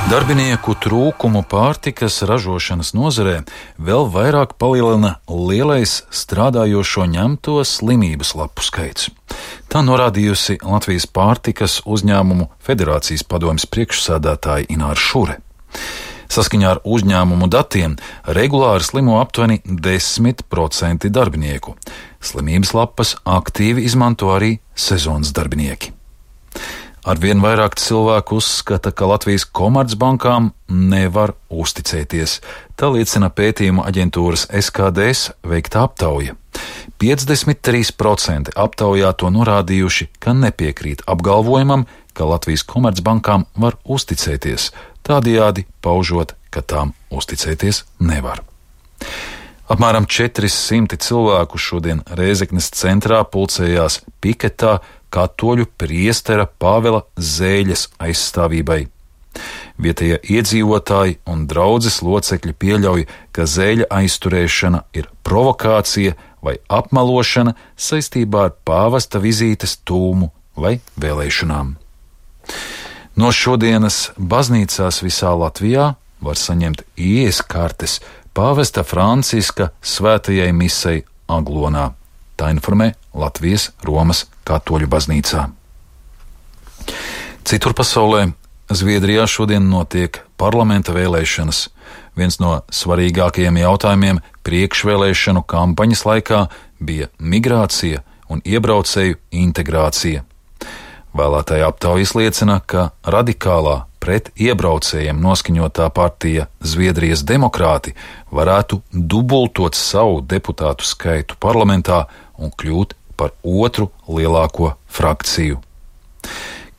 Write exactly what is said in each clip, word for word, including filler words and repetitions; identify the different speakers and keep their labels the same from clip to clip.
Speaker 1: Darbinieku trūkumu pārtikas ražošanas nozarē vēl vairāk palielina lielais strādājošo ņemto slimības lapu skaits. Tā norādījusi Latvijas pārtikas uzņēmumu federācijas padomjas priekšsēdētāja Ināra Šure. Saskaņā ar uzņēmumu datiem regulāri slimo aptuveni desmit procenti darbinieku. Slimības lapas aktīvi izmanto arī sezonas darbinieki. Arvien vairāk cilvēku uzskata, ka Latvijas komercbankām nevar uzticēties. Tā liecina pētījuma aģentūras S K D S veikta aptauja. piecdesmit trīs procenti aptaujāto norādījuši, ka nepiekrīt apgalvojumam, ka Latvijas komercbankām var uzticēties, tādējādi paužot, ka tām uzticēties nevar. Apmēram četri simti cilvēku šodien Rēzeknes centrā pulcējās piketā katoļu priestera Pāvela Zēļas aizstāvībai. Vietējie iedzīvotāji un draudzes locekļi pieļauj, ka Zēļa aizturēšana ir provokācija vai apmelošana saistībā ar pāvesta vizītes tūmu vai vēlēšanām. No šodienas baznīcās visā Latvijā var saņemt ieejas kartes pāvesta Franciska svētajai misei Aglonā. Tā informē Latvijas Romas katoļu baznīcā. Citur pasaulē, Zviedrijā šodien notiek parlamenta vēlēšanas. Viens no svarīgākajiem jautājumiem priekšvēlēšanu kampaņas laikā bija migrācija un iebraucēju integrācija. Vēlētāja aptaujas liecina, ka radikālā pret iebraucējiem noskaņotā partija Zviedrijas demokrāti varētu dubultot savu deputātu skaitu parlamentā un kļūt par otru lielāko frakciju.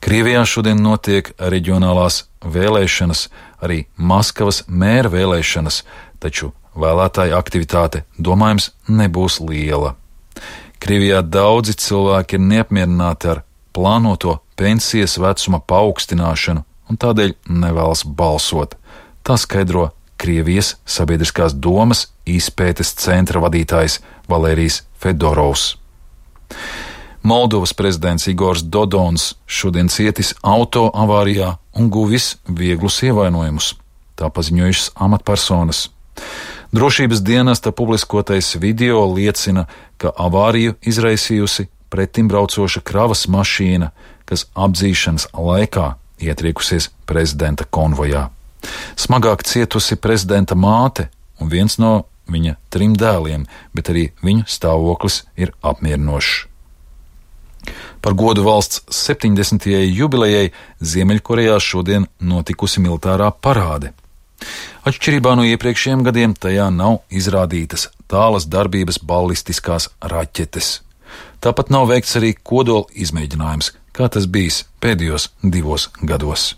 Speaker 1: Krievijā šodien notiek reģionālās vēlēšanas, arī Maskavas mēra vēlēšanas, taču vēlētāja aktivitāte, domājams, nebūs liela. Krievijā daudzi cilvēki ir neapmierināti ar plānoto pensijas vecuma paaugstināšanu un tādēļ nevēlas balsot. Tā skaidro Krievijas sabiedriskās domas izpētes centra vadītājs Valērijs Fedorovs. Moldovas prezidents Igors Dodons šodien cietis auto avārijā un guvis vieglus ievainojumus. Tā paziņojušas amatpersonas. Drošības dienesta publiskotais video liecina, ka avāriju izraisījusi pretimbraucoša kravas mašīna, kas apdzīšanas laikā ietriekusies prezidenta konvojā. Smagāk cietusi prezidenta māte un viens no viņa trim dēliem, bet arī viņu stāvoklis ir apmierinošs. Par godu valsts septiņdesmitajai jubilejai Ziemeļkorejā šodien notikusi militārā parāde. Atšķirībā no iepriekšējiem gadiem tajā nav izrādītas tālas darbības ballistiskās raķetes. Tāpat nav veikts arī kodola izmēģinājums, kā tas bijis pēdējos divos gados.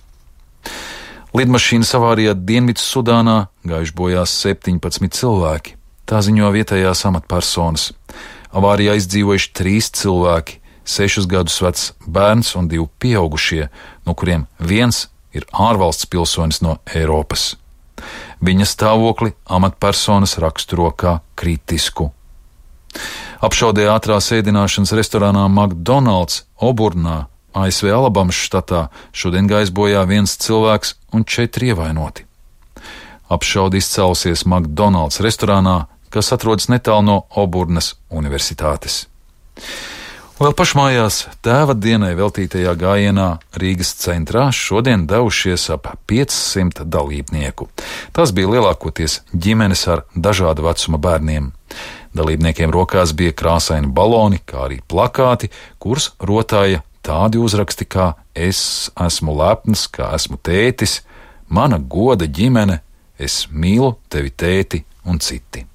Speaker 1: Lidmašīnas avārijā Dienvidsudānā gājuši bojā septiņpadsmit cilvēki. Tā ziņo vietējās amatpersonas. Avārijā izdzīvojuši trīs cilvēki, sešus gadus vecs bērns un divi pieaugušie, no kuriem viens ir ārvalsts pilsonis no Eiropas. Viņa stāvokli amatpersonas raksturo kā kritisku. Apšaudē ātrās ēdināšanas restorānā McDonald's Oburnā, A S V Alabamas štatā, šodien gājis bojā viens cilvēks un četri ievainoti. Apšaude izcēlusies McDonald's restorānā, kas atrodas netālu no Oburnas universitātes. Vēl pašmājās tēva dienai veltītajā gājienā Rīgas centrā šodien devušies ap piecsimt dalībnieku. Tas bija lielākoties ģimenes ar dažāda vecuma bērniem. Dalībniekiem rokās bija krāsaini baloni, kā arī plakāti, kurus rotāja tādi uzraksti kā "Es esmu lepns, kā esmu tētis", "Mana goda ģimene", "Es mīlu tevi, tēti" un citi.